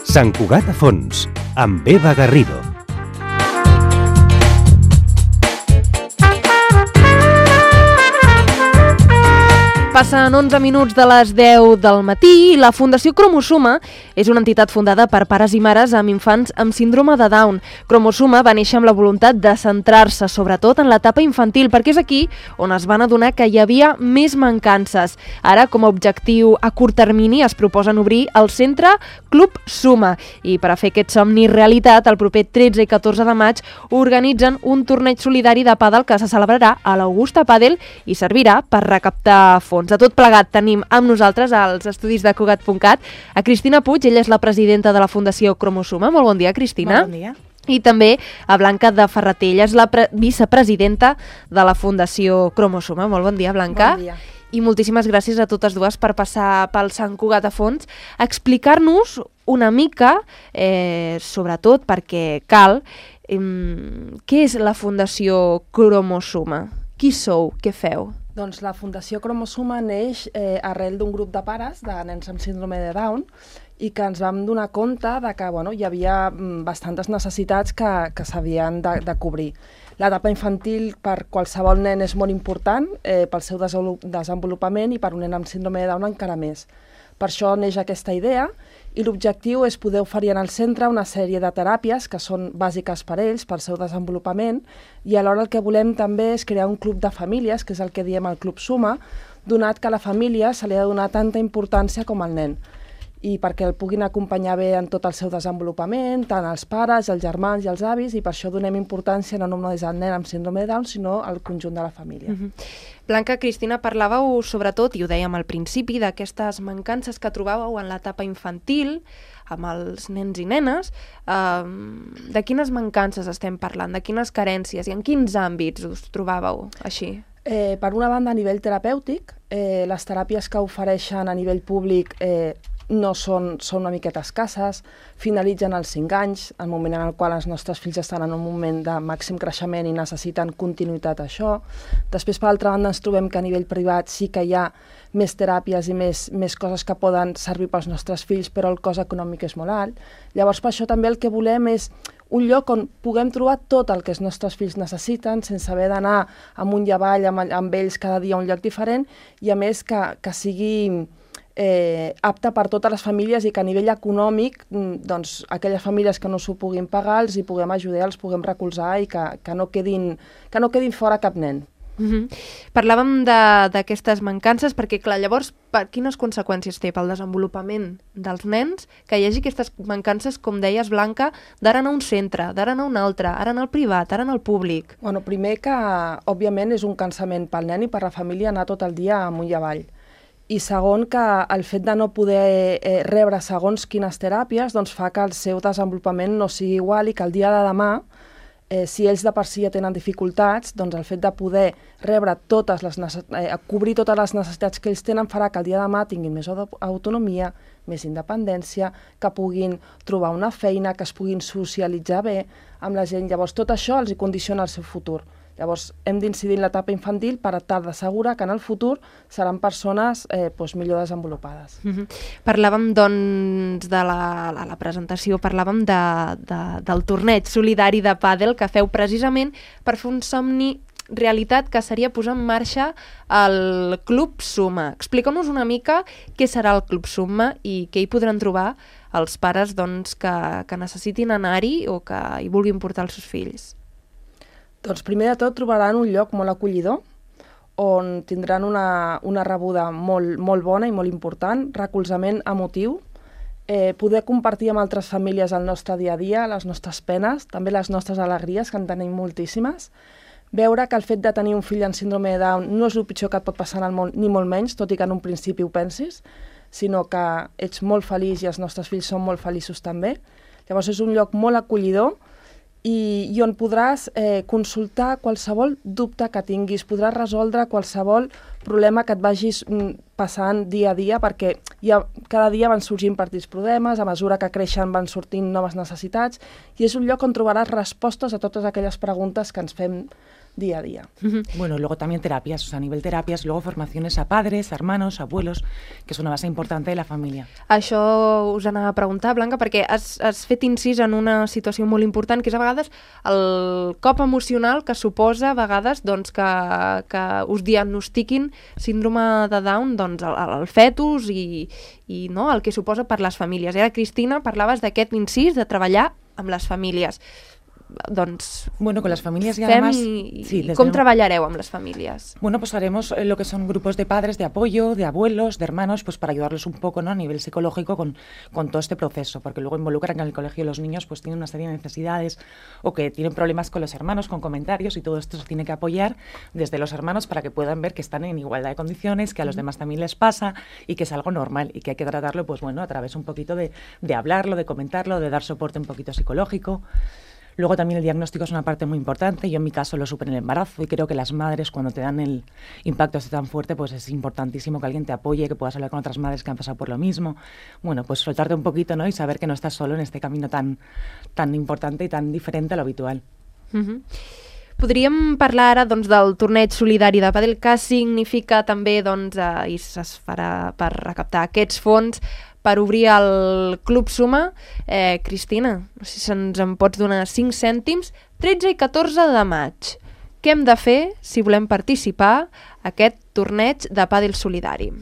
Sant Cugat a Fons, amb Eva Garrido. Passen 11 minuts de les 10 del matí i la Fundació Cromosoma és una entitat fundada per pares i mares amb infants amb síndrome de Down. Cromosoma va néixer amb la voluntat de centrar-se sobretot en l'etapa infantil, perquè és aquí on es van adonar que hi havia més mancances. Ara, com a objectiu a curt termini, es proposen obrir el centre Club Suma. I per a fer aquest somni realitat, el proper 13 i 14 de maig organitzen un torneig solidari de pàdel que se celebrarà a l'Augusta Padel i servirà per recaptar fons. De tot plegat tenim amb nosaltres als estudis de Cugat.cat a Cristina Puig, ella és la presidenta de la Fundació Cromosoma. Molt bon dia, Cristina. Molt bon dia. I també a Blanca de Ferreter, ella és la vicepresidenta de la Fundació Cromosoma. Molt bon dia, Blanca. Bon dia. I moltíssimes gràcies a totes dues per passar pel Sant Cugat a Fons a explicar-nos una mica, sobretot perquè cal, què és la Fundació Cromosoma? Qui sou? Què feu? Doncs la Fundació Cromosoma neix arrel d'un grup de pares de nens amb síndrome de Down i que ens vam donar compte de que hi havia bastantes necessitats que s'havien de cobrir. L'etapa infantil per qualsevol nen és molt important pel seu desenvolupament i per un nen amb síndrome de Down encara més. Per això neix aquesta idea i l'objectiu és poder oferir en el centre una sèrie de teràpies que són bàsiques per ells, pel seu desenvolupament, i alhora el que volem també és crear un club de famílies, que és el que diem el Club Suma, donat que a la família se li ha de donar tanta importància com al nen, i perquè el puguin acompanyar bé en tot el seu desenvolupament, tant els pares, els germans i els avis, i per això donem importància no només al nen amb síndrome de Down, sinó al conjunt de la família. Blanca, Cristina, parlàveu sobretot, i ho dèiem al principi, d'aquestes mancances que trobàveu en l'etapa infantil, amb els nens i nenes. De quines mancances estem parlant? De quines carències? I en quins àmbits us trobàveu així? Per una banda, a nivell terapèutic, les teràpies que ofereixen a nivell públic no són una miqueta escasses, finalitzen als 5 anys, el moment en el qual els nostres fills estan en un moment de màxim creixement i necessiten continuïtat a això. Després, per altra banda, ens trobem que a nivell privat sí que hi ha més teràpies i més coses que poden servir pels nostres fills, però el cost econòmic és molt alt. Llavors, per això també el que volem és un lloc on puguem trobar tot el que els nostres fills necessiten sense haver d'anar amunt i avall amb ells cada dia a un lloc diferent i, a més, que sigui apte per totes les famílies i que a nivell econòmic doncs, aquelles famílies que no s'ho puguin pagar els hi puguem ajudar, els puguem recolzar i que no quedin fora cap nen. Parlàvem d'aquestes mancances perquè, clar, llavors, quines conseqüències té pel desenvolupament dels nens que hi hagi aquestes mancances, com deies, Blanca, d'ara anar a un centre, d'ara anar a un altre, ara anar al privat, ara anar al públic? Bueno, primer que, òbviament, és un cansament pel nen i per la família anar tot el dia amunt i avall. I segon, que el fet de no poder rebre segons quines teràpies doncs fa que el seu desenvolupament no sigui igual i que el dia de demà, si ells de per si ja tenen dificultats, doncs el fet de poder rebre cobrir totes les necessitats que ells tenen farà que el dia de demà tinguin més autonomia, més independència, que puguin trobar una feina, que es puguin socialitzar bé amb la gent. Llavors tot això els hi condiciona el seu futur. Llavors, hem d'incidir en l'etapa infantil per tal d'assegurar que en el futur seran persones millor desenvolupades. Parlàvem, doncs, de la presentació, parlàvem del torneig solidari de pàdel que feu precisament per fer un somni realitat, que seria posar en marxa el Club Suma. Explica'm-nos una mica què serà el Club Suma i què hi podran trobar els pares que necessitin anar-hi o que hi vulguin portar els seus fills. Doncs primer de tot trobaran un lloc molt acollidor on tindran una rebuda molt bona i molt important, recolzament emotiu, poder compartir amb altres famílies el nostre dia a dia, les nostres penes, també les nostres alegries, que en tenim moltíssimes, veure que el fet de tenir un fill amb síndrome de Down no és el pitjor que et pot passar en el món, ni molt menys, tot i que en un principi ho pensis, sinó que ets molt feliç i els nostres fills són molt feliços també. Llavors és un lloc molt acollidor i on podràs consultar qualsevol dubte que tinguis, podràs resoldre qualsevol problema que et vagis passant dia a dia, perquè cada dia van sorgint partits problemes, a mesura que creixen van sortint noves necessitats, i és un lloc on trobaràs respostes a totes aquelles preguntes que ens fem día a día. Bueno, luego también terapias, o sea, a nivel terapias, luego formaciones a padres, hermanos, abuelos, que és una base importante de la família. Això us anava a preguntar, Blanca, perquè has fet incís en una situació molt important, que és a vegades el cop emocional que suposa a vegades doncs, que us diagnostiquin síndrome de Down doncs, el fetus i no, el que suposa per les famílies. I ara, Cristina, parlaves d'aquest incís de treballar amb les famílies. Doncs bueno, con las familias y además ¿cómo trabajareu amb las familias? Bueno, pues haremos lo que son grupos de padres, de apoyo, de abuelos, de hermanos, pues para ayudarlos un poco, ¿no? A nivel psicológico con todo este proceso, porque luego involucran que en el colegio los niños pues tienen una serie de necesidades o que tienen problemas con los hermanos, con comentarios, y todo esto se tiene que apoyar desde los hermanos para que puedan ver que están en igualdad de condiciones, que a los demás también les pasa y que es algo normal y que hay que tratarlo pues bueno, a través un poquito de hablarlo, de comentarlo, de dar soporte un poquito psicológico. Luego también el diagnóstico es una parte muy importante. Yo en mi caso lo supe en el embarazo y creo que las madres cuando te dan el impacto así tan fuerte pues es importantísimo que alguien te apoye, que puedas hablar con otras madres que han pasado por lo mismo. Bueno, pues soltarte un poquito, ¿no? Y saber que no estás solo en este camino tan importante y tan diferente a lo habitual. Podríem parlar ara doncs, del torneig solidari de pàdel, que significa també doncs, i es farà per recaptar aquests fons per obrir el Club Suma. Cristina, no sé si ens en pots donar 5 cèntims. 13 i 14 de maig. Què hem de fer si volem participar a aquest torneig de pàdel solidari?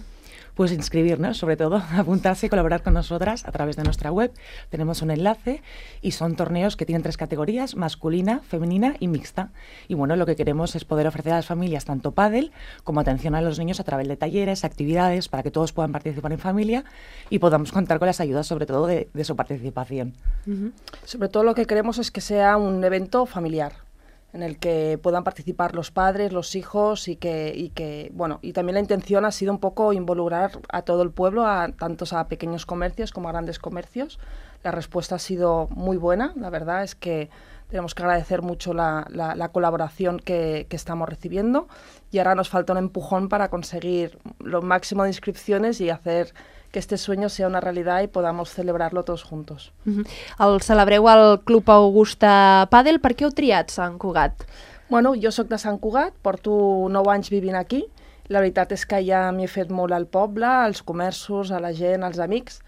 Pues inscribirnos, sobre todo, apuntarse y colaborar con nosotras a través de nuestra web. Tenemos un enlace y son torneos que tienen 3 categorías, masculina, femenina y mixta. Y bueno, lo que queremos es poder ofrecer a las familias tanto pádel como atención a los niños a través de talleres, actividades, para que todos puedan participar en familia y podamos contar con las ayudas, sobre todo, de su participación. Sobre todo lo que queremos es que sea un evento familiar, en el que puedan participar los padres, los hijos y también la intención ha sido un poco involucrar a todo el pueblo, tantos a pequeños comercios como a grandes comercios. La respuesta ha sido muy buena, la verdad es que tenemos que agradecer mucho la colaboración que estamos recibiendo y ahora nos falta un empujón para conseguir lo máximo de inscripciones y hacer que este sueño sea una realidad y podamos celebrarlo todos juntos. El celebreu al Club Augusta Pàdel. Per què heu triat Sant Cugat? Bueno, jo sóc de Sant Cugat, porto 9 anys vivint aquí. La veritat és que ja m'hi he fet molt al poble, als comerços, a la gent, als amics.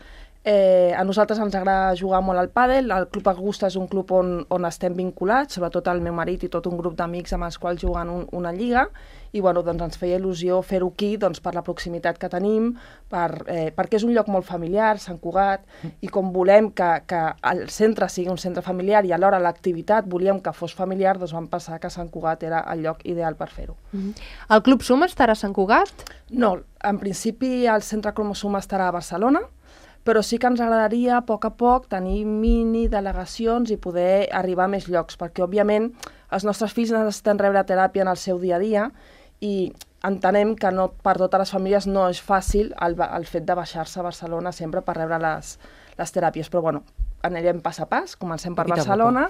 A nosaltres ens agrada jugar molt al pàdel. El Club Augusta és un club on estem vinculats, sobretot el meu marit i tot un grup d'amics amb els quals juguen una lliga, i bueno, doncs ens feia il·lusió fer-ho aquí doncs, per la proximitat que tenim, perquè és un lloc molt familiar, Sant Cugat, i com volem que el centre sigui un centre familiar i alhora l'activitat volíem que fos familiar, doncs vam pensar que Sant Cugat era el lloc ideal per fer-ho. El Club Suma estarà a Sant Cugat? No, en principi el centre Cromosuma estarà a Barcelona, però sí que ens agradaria a poc tenir mini delegacions i poder arribar a més llocs, perquè òbviament els nostres fills necessiten rebre teràpia en el seu dia a dia i entenem que no, per totes les famílies no és fàcil el fet de baixar-se a Barcelona sempre per rebre les teràpies, però bueno, anirem pas a pas, comencem per Barcelona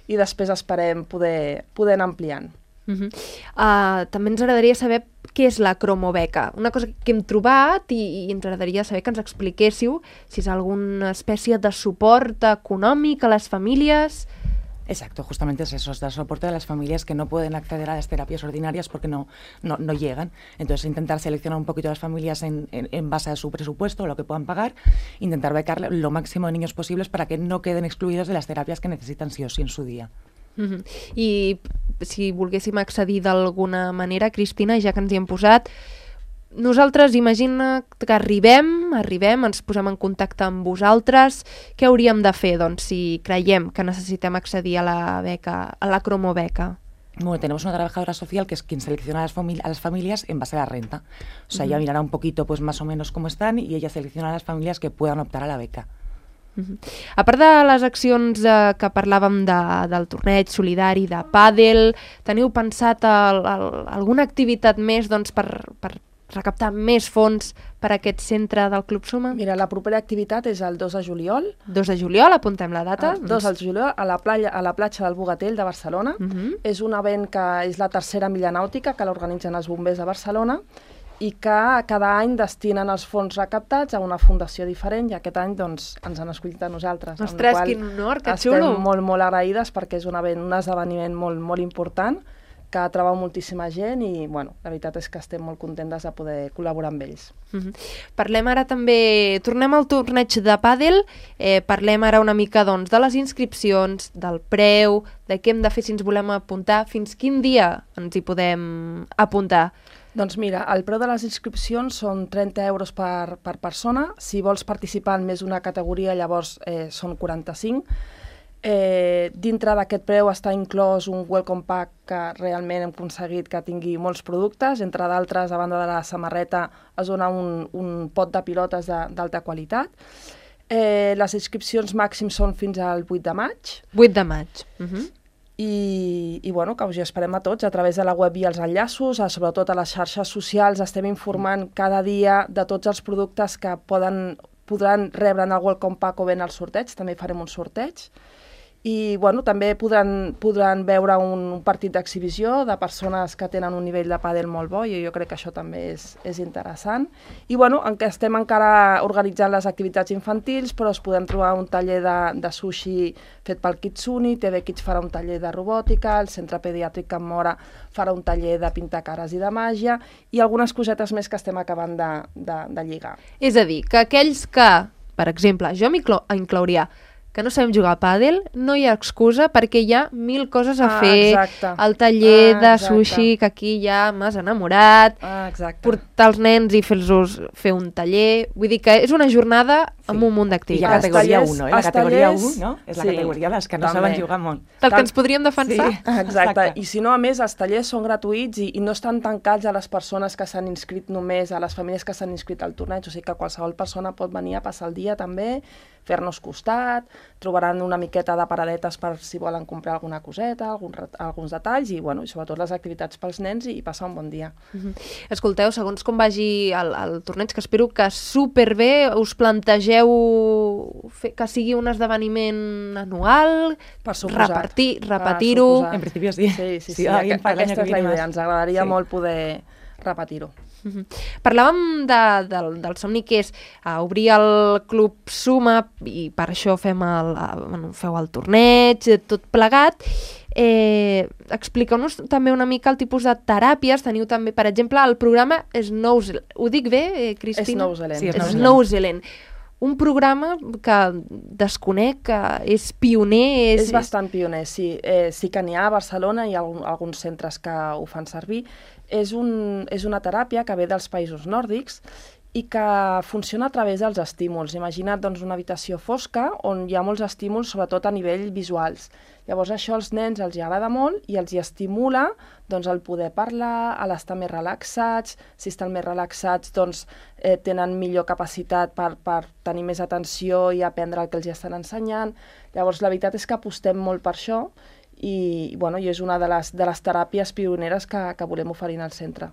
i després esperem poder anar ampliant. També ens agradaria saber què és la cromobeca, una cosa que hem trobat i ens agradaria saber que ens expliquéssiu si és alguna espècie de suport econòmic a les famílies. Exacto, justamente es eso, es dar soporte a las familias que no pueden acceder a las terapias ordinarias porque no llegan. Entonces intentar seleccionar un poquito a las familias en base a su presupuesto, lo que puedan pagar, intentar becar lo máximo de niños posibles para que no queden excluidos de las terapias que necesitan sí o sí en su día. I si volguéssim accedir d'alguna manera, Cristina, ja que ens hi hem posat, nosaltres imagina que arribem, ens posem en contacte amb vosaltres, què hauríem de fer doncs, si creiem que necessitem accedir a la beca, a la cromobeca? Bueno, tenemos una trabajadora social que es quien selecciona a las familias en base a la renta. O sea, ella mirará un poquito pues más o menos cómo están y ella selecciona a las familias que puedan optar a la beca. A part de les accions que parlàvem del torneig solidari de pàdel, teniu pensat alguna activitat més doncs, per recaptar més fons per a aquest centre del Club Suma? Mira, la propera activitat és el 2 de juliol. 2 de juliol, apuntem la data. El 2 de juliol a la platja del Bogatell de Barcelona. És un event que és la tercera milla nàutica que l'organitzen els bombers de Barcelona i que cada any destinen els fons recaptats a una fundació diferent i aquest any doncs, ens han escollit a nosaltres. Ostres, quin honor, que xulo! Estem molt agraïdes perquè és un esdeveniment molt important que atrau moltíssima gent i bueno, la veritat és que estem molt contentes de poder col·laborar amb ells. Parlem ara també, tornem al torneig de pàdel, parlem ara una mica doncs, de les inscripcions, del preu, de què hem de fer si ens volem apuntar, fins quin dia ens hi podem apuntar. Doncs mira, el preu de les inscripcions són 30 euros per persona. Si vols participar en més d'una categoria, llavors són 45. Dintre d'aquest preu està inclòs un welcome pack que realment hem aconseguit que tingui molts productes. Entre d'altres, a banda de la samarreta, es dona un pot de pilotes d'alta qualitat. Les inscripcions màxims són fins al 8 de maig. 8 de maig. I bueno, que us hi esperem a tots a través de la web i els enllaços, sobretot a les xarxes socials estem informant cada dia de tots els productes que podran rebre en el welcome pack o bé en el sorteig, també farem un sorteig. I bueno, també podran veure un partit d'exhibició de persones que tenen un nivell de pàdel molt bo i jo crec que això també és interessant. I bueno, estem encara organitzant les activitats infantils, però es podem trobar un taller de sushi fet pel Kitsuni, TV Kids farà un taller de robòtica, el Centre Pediàtric Can Mora farà un taller de pintar cares i de màgia i algunes cosetes més que estem acabant de lligar. És a dir, que aquells que, per exemple, jo inclouria que no sabem jugar a pàdel, no hi ha excusa perquè hi ha 1000 coses a fer. Exacte. El taller de sushi, que aquí ja m'has enamorat, portar els nens i fer un taller. Vull dir que és una jornada amb un munt d'activitats. I la categoria 1, la categoria 1, no? És la categoria dels que no saben jugar molt. Del que ens podríem defensar. Sí, exacte. I si no, a més, els tallers són gratuïts i no estan tancats a les persones que s'han inscrit només, a les famílies que s'han inscrit al torneig, o sigui que qualsevol persona pot venir a passar el dia també, fer-nos costat, trobaran una miqueta de paradetes per si volen comprar alguna coseta, alguns detalls i, bueno, i sobretot les activitats pels nens i passar un bon dia. Escolteu, segons com vagi el torneig, que espero que superbé, us plantegeu que sigui un esdeveniment anual, repetir-ho... En principi sí. Sí, aquesta és la idea, ens agradaria molt poder repetir-ho. Parlàvem del somni que és obrir el Club Suma i per això feu el torneig, tot plegat. Expliqueu-nos també una mica el tipus de teràpies. Teniu també, per exemple, el programa Snowzealand. Ho dic bé, Cristina? Snowzealand. Un programa que desconec, que és pioner... És bastant pioner, sí. Sí que n'hi ha a Barcelona, hi ha alguns centres que ho fan servir. És una teràpia que ve dels països nòrdics i que funciona a través dels estímuls. Imagina't doncs, una habitació fosca on hi ha molts estímuls, sobretot a nivell visuals. Llavors això als nens els agrada molt i els estimula doncs, el poder parlar, a l'estar més relaxats. Si estan més relaxats doncs, tenen millor capacitat per tenir més atenció i aprendre el que els estan ensenyant. Llavors la veritat és que apostem molt per això i és una de les teràpies pioneres que volem oferir al centre.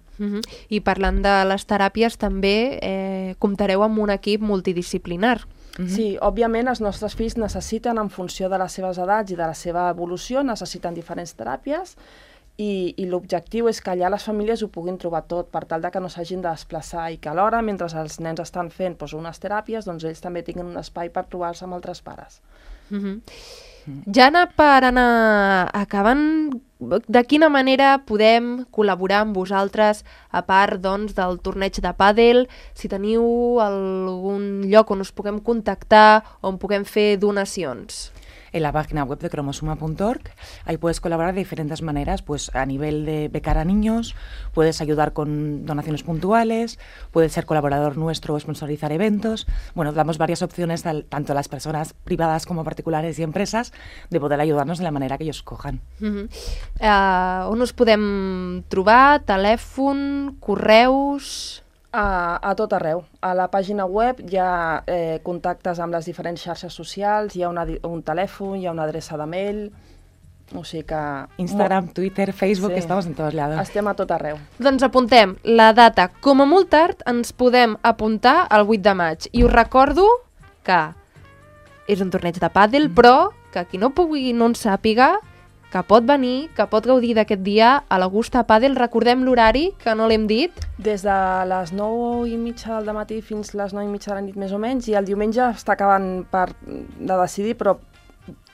I parlant de les teràpies també comptareu amb un equip multidisciplinar. Sí, òbviament els nostres fills necessiten, en funció de les seves edats i de la seva evolució, necessiten diferents teràpies i l'objectiu és que allà les famílies ho puguin trobar tot per tal de que no s'hagin de desplaçar i que alhora, mentre els nens estan fent unes teràpies, doncs ells també tinguin un espai per trobar-se amb altres pares. Ja per anar acabant, de quina manera podem col·laborar amb vosaltres, a part doncs, del torneig de pàdel, si teniu algun lloc on us puguem contactar, on puguem fer donacions? En la página web de cromosuma.org. Ahí puedes colaborar de diferentes maneras, pues a nivel de becar a niños, puedes ayudar con donaciones puntuales, puedes ser colaborador nuestro o sponsorizar eventos. Bueno, damos varias opciones tanto a las personas privadas como particulares y empresas de poder ayudarnos de la manera que ellos cojan. On us podem trobar? Telèfon, correus... A tot arreu. A la pàgina web hi ha contactes amb les diferents xarxes socials, hi ha un telèfon, hi ha una adreça de mail, o sigui que... Instagram, Twitter, Facebook, estamos en todos lados. Estem a tot arreu. Doncs apuntem la data. Com a molt tard ens podem apuntar al 8 de maig. I us recordo que és un torneig de pàdel, però que qui no en sàpiga, que pot venir, que pot gaudir d'aquest dia a l'Augusta Padel. Recordem l'horari, que no l'hem dit. Des de les 9:30 del matí fins les 9:30 de la nit més o menys, i el diumenge està acabant de decidir, però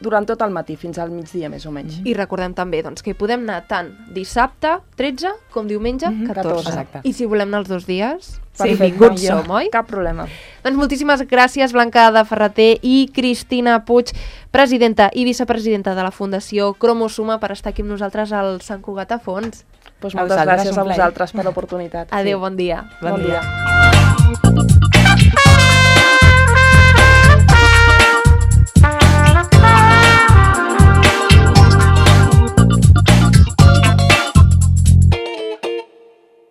durant tot el matí, fins al migdia més o menys. I recordem també doncs, que hi podem anar tant dissabte 13 com diumenge 14. Exacte. I si volem anar els 2 dies, Perfecte. benvinguts som, oi? Cap problema. Doncs moltíssimes gràcies, Blanca de Ferreter i Cristina Puig, presidenta i vicepresidenta de la Fundació Cromosuma, per estar aquí amb nosaltres al Sant Cugat a Fons. Doncs A moltes vosaltres, gràcies un a plaer. vosaltres per l'oportunitat. Adéu, bon dia. Bon dia.